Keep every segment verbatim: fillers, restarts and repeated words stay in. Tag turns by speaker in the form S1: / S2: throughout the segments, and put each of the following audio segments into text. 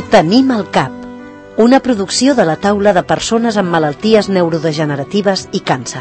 S1: Ho tenim al cap. Una producció de la taula de persones amb malalties neurodegeneratives i càncer.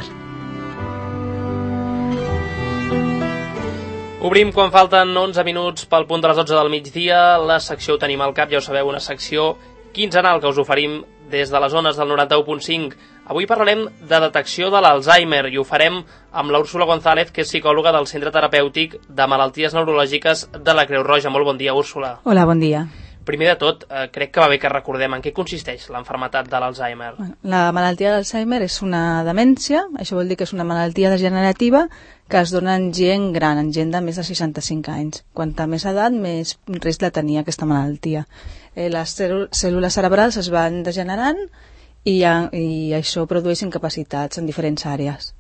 S2: Obrim quan falten onze minuts pel punt de les dotze del migdia. La secció Ho tenim al cap, ja ho sabeu, una secció quinzenal que us oferim des de les zones del noranta-u punt cinc. Avui parlarem de detecció de l'Alzheimer i ho farem amb l'Úrsula González, que és psicòloga del Centre Terapèutic de Malalties Neurològiques de la Creu Roja. Molt bon dia, Úrsula.
S3: Hola, bon dia.
S2: Primer de tot, eh, crec que va bé que recordem en què consisteix l'enfermetat de l'Alzheimer.
S3: La malaltia d'Alzheimer és una demència, això vol dir que és una malaltia degenerativa que es dona en gent gran, en gent de més de seixanta-cinc anys. Quanta més edat, més risc de tenir aquesta malaltia. Eh, les cèl·lules cerebrals es van degenerant i, i això produeix incapacitats en diferents àrees.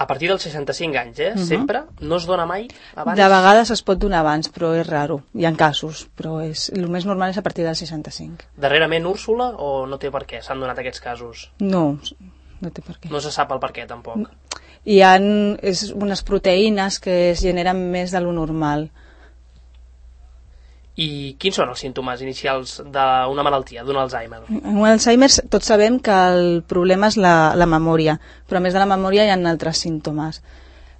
S2: A partir dels seixanta-cinc anys, eh?
S3: Uh-huh.
S2: Sempre? No es dona mai abans?
S3: De vegades es pot donar abans, però és raro. Hi ha casos, però és, el més normal és a partir dels seixanta-cinc.
S2: Darrerament, Úrsula, o no té per què? S'han donat aquests casos?
S3: No, no té per què.
S2: No se sap el per què, tampoc?
S3: Hi ha és unes proteïnes que es generen més de lo normal.
S2: I quins són els símptomes inicials d'una malaltia, d'un Alzheimer?
S3: En un Alzheimer tots sabem que el problema és la, la memòria, però a més de la memòria hi ha altres símptomes.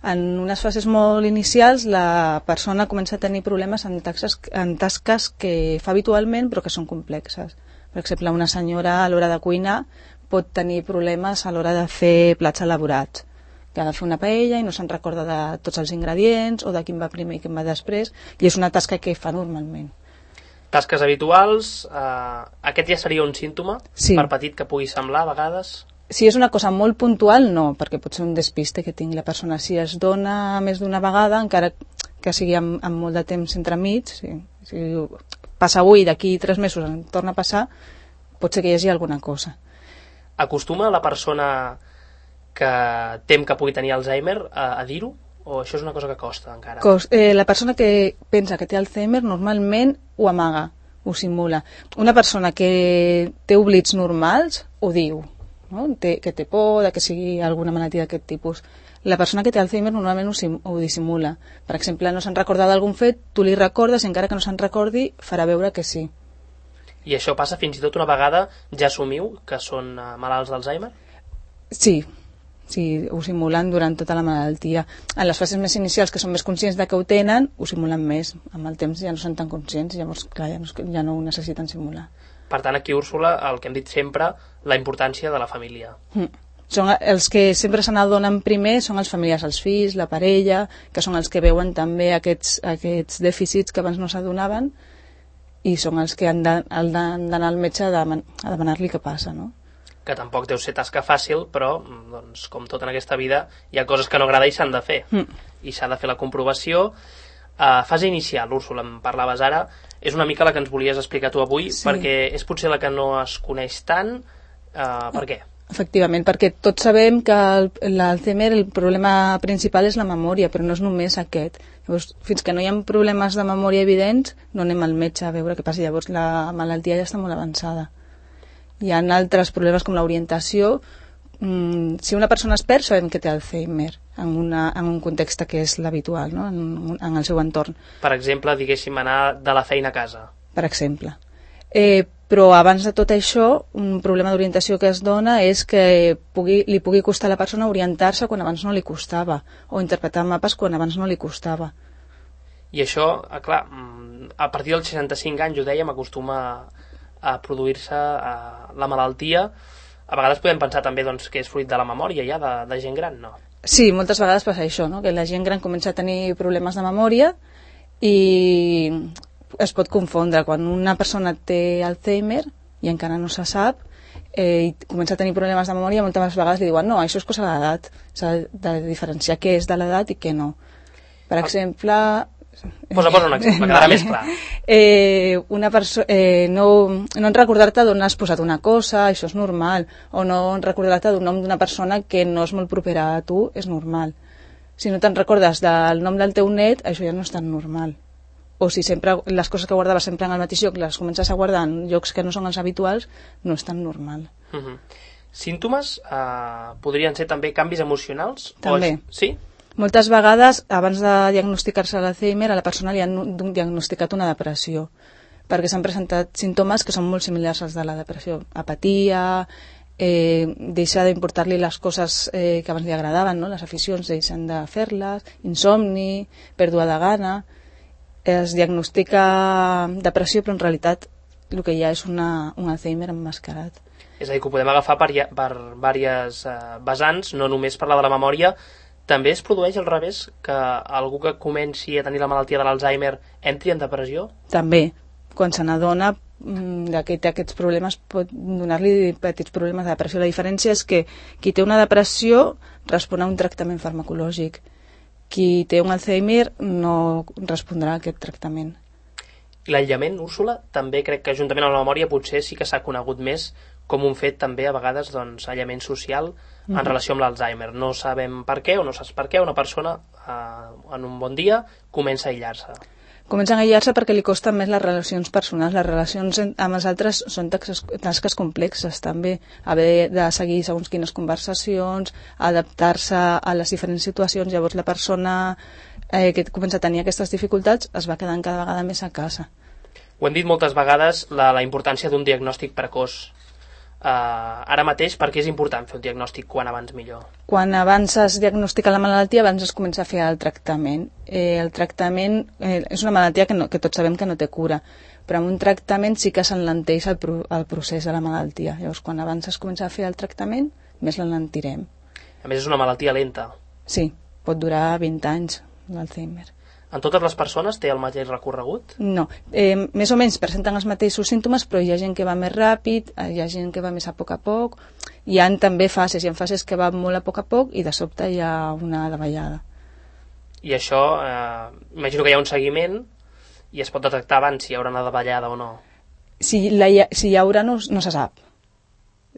S3: En unes fases molt inicials la persona comença a tenir problemes en, taxes, en tasques que fa habitualment però que són complexes. Per exemple, una senyora a l'hora de cuinar pot tenir problemes a l'hora de fer plats elaborats, que ha de fer una paella i no se'n recorda de tots els ingredients o de quin va primer i quin va després, i és una tasca que fa normalment.
S2: Tasques habituals, eh, aquest ja seria un símptoma,
S3: sí.
S2: Per petit que pugui semblar a vegades?
S3: Si és una cosa molt puntual, no, perquè pot ser un despiste que tingui la persona. Si es dona més d'una vegada, encara que sigui amb, amb molt de temps entremig, sí. Si passa avui, d'aquí tres mesos en torna a passar, pot ser que hi hagi alguna cosa.
S2: Acostuma la persona que tem que pugui tenir Alzheimer a, a dir-ho? O això és una cosa que costa encara?
S3: Cos, eh, la persona que pensa que té Alzheimer normalment ho amaga, ho simula. Una persona que té oblits normals ho diu, no? té, que té por de que sigui alguna malaltia d'aquest tipus. La persona que té Alzheimer normalment ho, sim, ho dissimula. Per exemple, no se'n recorda d'algun fet, tu li recordes i encara que no se'n recordi farà veure que sí.
S2: I això passa fins i tot una vegada ja assumiu que són uh, malalts d'Alzheimer?
S3: Sí. Sí, ho simulen durant tota la malaltia. En les fases més inicials, que són més conscients de que ho tenen, ho simulen més. Amb el temps ja no són tan conscients, llavors clar, ja, no, ja no ho necessiten simular.
S2: Per tant, aquí, Úrsula, el que hem dit sempre, la importància de la família.
S3: Mm. Són els que sempre se n'adonen primer són els familiars, els fills, la parella, que són els que veuen també aquests, aquests dèficits que abans no s'adonaven i són els que han d'anar al metge a, deman a demanar-li què passa, no?
S2: Que tampoc deu ser tasca fàcil, però, doncs, com tot en aquesta vida, hi ha coses que no agrada i s'han de fer. Mm. I s'ha de fer la comprovació. Uh, fase inicial, Úrsula, em parlaves ara, és una mica la que ens volies explicar tu avui, sí. Perquè és potser la que no es coneix tant. Uh, per què?
S3: Efectivament, perquè tots sabem que l'Alzheimer, el problema principal és la memòria, però no és només aquest. Llavors, fins que no hi ha problemes de memòria evidents, no anem al metge a veure què passa. Llavors, la malaltia ja està molt avançada. Hi ha altres problemes com l'orientació. Mm, si una persona es perd, sabem que té Alzheimer en, una, en un context que és l'habitual, no? en, en el seu entorn.
S2: Per exemple, diguéssim, anar de la feina a casa.
S3: Per exemple. Eh, però abans de tot això, un problema d'orientació que es dona és que pugui, li pugui costar a la persona orientar-se quan abans no li costava, o interpretar mapes quan abans no li costava.
S2: I això, clar, a partir dels seixanta-cinc anys, ho dèiem, acostuma a produir-se la malaltia. A vegades podem pensar també doncs, que és fruit de la memòria ja, de, de gent gran, no?
S3: Sí, moltes vegades passa això, no? Que la gent gran comença a tenir problemes de memòria i es pot confondre. Quan una persona té Alzheimer i encara no se sap eh, i comença a tenir problemes de memòria, moltes vegades li diuen no, això és cosa de l'edat. S'ha de diferenciar què és de l'edat i què no. Per exemple...
S2: Posa, posa un exemple, que vale. Més clar.
S3: Eh, una perso eh, no, no en recordar-te d'on has posat una cosa, això és normal, o no en recordar-te d'un nom d'una persona que no és molt propera a tu, és normal. Si no te'n recordes del nom del teu net, això ja no és tan normal. O si sempre les coses que guardaves sempre en el mateix lloc les comences a guardar en llocs que no són els habituals, no és tan normal.
S2: Uh -huh. Símptomes eh, podrien ser també canvis emocionals?
S3: També.
S2: O... Sí?
S3: Moltes vegades, abans de diagnosticar-se l'Alzheimer, a la persona li han diagnosticat una depressió. perquè s'han presentat símptomes que són molt similars als de la depressió. Apatia, eh, deixar d'importar-li les coses eh, que abans li agradaven, no? Les aficions deixen de fer-les, insomni, pèrdua de gana. Es diagnostica depressió, però en realitat el que hi ha és una, un Alzheimer emmascarat.
S2: És a dir, que ho podem agafar per, per diverses eh, vessants, no només parlar de la memòria. També es produeix al revés, que algú que comenci a tenir la malaltia de l'Alzheimer entri en depressió?
S3: També. Quan se n'adona que té aquests problemes pot donar-li petits problemes de depressió. La diferència és que qui té una depressió respon a un tractament farmacològic. Qui té un Alzheimer no respondrà a aquest tractament.
S2: L'aïllament, Úrsula, també crec que juntament amb la memòria potser sí que s'ha conegut més com un fet també a vegades doncs, aïllament social en mm. relació amb l'Alzheimer. No sabem per què o no saps per què una persona eh, en un bon dia comença a aïllar-se.
S3: Comencen a aïllar-se perquè li costen més les relacions personals. Les relacions amb els altres són tasques, tasques complexes també. Haver de seguir segons quines conversacions, adaptar-se a les diferents situacions. Llavors la persona eh, que comença a tenir aquestes dificultats es va quedant cada vegada més a casa.
S2: Ho hem dit moltes vegades, la, la importància d'un diagnòstic precoç. Uh, ara mateix, per què és important fer un diagnòstic quan abans millor?
S3: Quan abans es diagnostica la malaltia, abans es comença a fer el tractament. Eh, el tractament eh, és una malaltia que, no, que tots sabem que no té cura, però amb un tractament sí que s'enlenteix el, pro, el procés de la malaltia. Llavors, quan abans es comença a fer el tractament, més l'enlentirem.
S2: A més, és una malaltia lenta.
S3: Sí, pot durar vint anys, l'Alzheimer.
S2: En totes les persones té el mateix recorregut?
S3: No, eh, més o menys presenten els mateixos símptomes, però hi ha gent que va més ràpid, hi ha gent que va més a poc a poc, hi ha també fases, hi ha fases que van molt a poc a poc i de sobte hi ha una davallada.
S2: I això, eh, imagino que hi ha un seguiment i es pot detectar abans si hi haurà una davallada o no.
S3: Si, la, si hi haurà no, no se sap.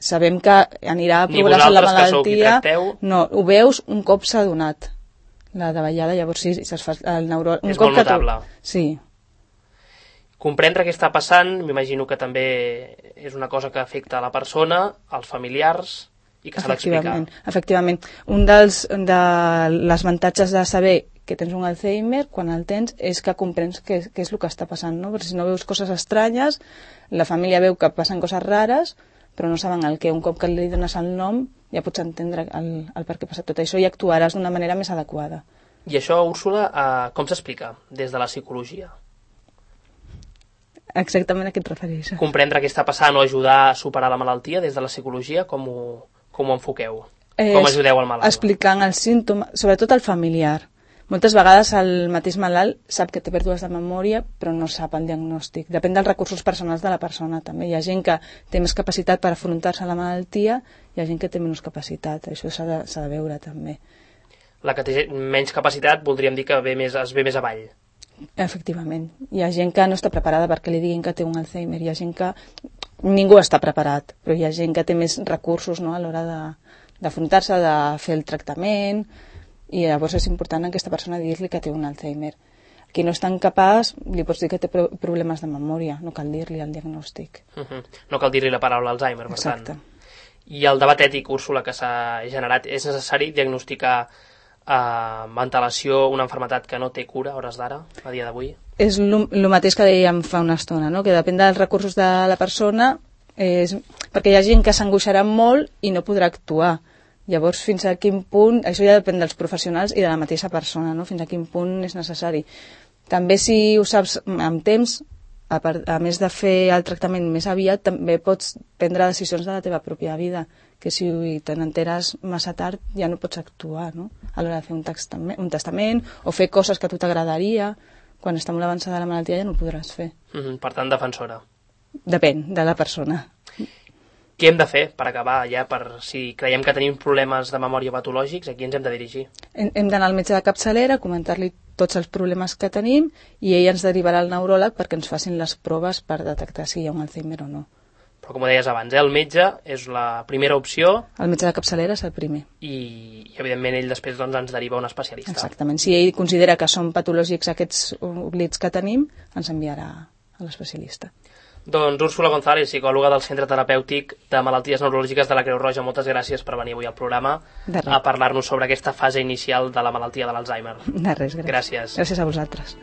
S3: Sabem que anirà a progressar la malaltia. No, ho veus un cop s'ha donat la davallada, llavors sí, es fa el neuròleg.
S2: És molt notable.
S3: Sí.
S2: Comprendre què està passant, m'imagino que també és una cosa que afecta a la persona, als familiars, i que s'ha d'explicar.
S3: Efectivament. Un dels de les avantatges de saber que tens un Alzheimer, quan el tens, és que comprens què, què és el que està passant, no? Perquè si no veus coses estranyes, la família veu que passen coses rares, però no saben el què. Un cop que li dones el nom, ja pots entendre el, el per què passa tot això i actuaràs d'una manera més adequada.
S2: I això, Úrsula, eh, com s'explica des de la psicologia?
S3: Exactament a què et refereixes?
S2: Comprendre què està passant o ajudar a superar la malaltia des de la psicologia, com ho, com ho enfoqueu?
S3: Eh,
S2: com ajudeu al malalt?
S3: Explicant els símptomes, sobretot al familiar. Moltes vegades el mateix malalt sap que té pèrdues de memòria, però no sap el diagnòstic. Depèn dels recursos personals de la persona, també. Hi ha gent que té més capacitat per afrontar-se a la malaltia, hi ha gent que té menys capacitat. Això s'ha de, s'ha de veure, també.
S2: La que té menys capacitat voldríem dir que ve més, es ve més avall.
S3: Efectivament. Hi ha gent que no està preparada perquè li diguin que té un Alzheimer. Hi ha gent que... Ningú està preparat, però hi ha gent que té més recursos, no?, a l'hora de, d'afrontar-se, de fer el tractament... I llavors és important a aquesta persona dir-li que té un Alzheimer. Qui no és tan capaç, li pots dir que té problemes de memòria, no cal dir-li el diagnòstic.
S2: Uh-huh. No cal dir-li la paraula Alzheimer, per
S3: Exacte.
S2: tant. I el debat ètic, Úrsula, que s'ha generat, és necessari diagnosticar eh, amb antelació una malaltia que no té cura a hores d'ara, a dia d'avui?
S3: És el mateix que dèiem fa una estona, no? Que depèn dels recursos de la persona, és... perquè hi ha gent que s'angoixarà molt i no podrà actuar. Llavors, fins a quin punt, això ja depèn dels professionals i de la mateixa persona, no? Fins a quin punt és necessari. També si ho saps amb temps, a, part, a més de fer el tractament més aviat, també pots prendre decisions de la teva pròpia vida, que si te n'enteres massa tard ja no pots actuar, no? A l'hora de fer un testament, un testament o fer coses que a tu t'agradaria, quan està molt avançada la malaltia ja no ho podràs fer.
S2: Mm-hmm, per tant, defensora.
S3: Depèn de la persona.
S2: Què hem de fer per acabar ja, per si creiem que tenim problemes de memòria patològics, a qui ens hem de dirigir?
S3: Hem, hem d'anar al metge de capçalera, comentar-li tots els problemes que tenim i ell ens derivarà al neuròleg perquè ens facin les proves per detectar si hi ha un Alzheimer o no.
S2: Però com deies abans, eh, el metge és la primera opció.
S3: El metge de capçalera és el primer.
S2: I, i evidentment ell després doncs, ens deriva a un especialista.
S3: Exactament. Si ell considera que són patològics aquests oblits que tenim, ens enviarà a l'especialista.
S2: Doncs Úrsula González, psicòloga del Centre Terapèutic de Malalties Neurològiques de la Creu Roja, moltes gràcies per venir avui al programa a parlar-nos sobre aquesta fase inicial de la malaltia de l'Alzheimer.
S3: De res, gràcies.
S2: Gràcies.
S3: Gràcies a vosaltres.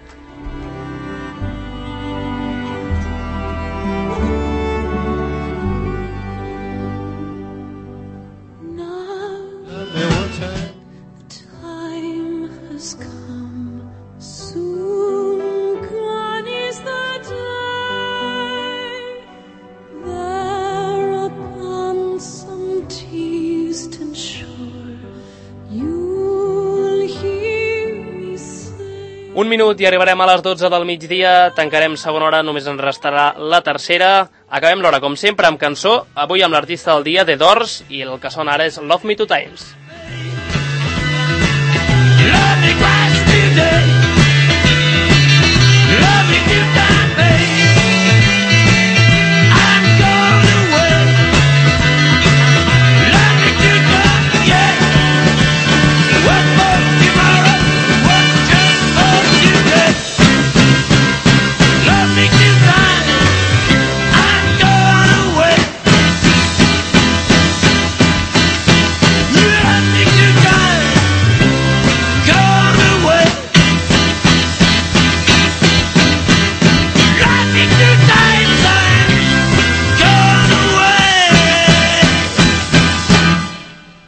S2: Un minut i arribarem a les dotze del migdia, tancarem segona hora, només ens restarà la tercera. Acabem l'hora, com sempre, amb cançó, avui amb l'artista del dia, The Doors, i el que sona ara és Love Me Two Times. Love me twice today. Love me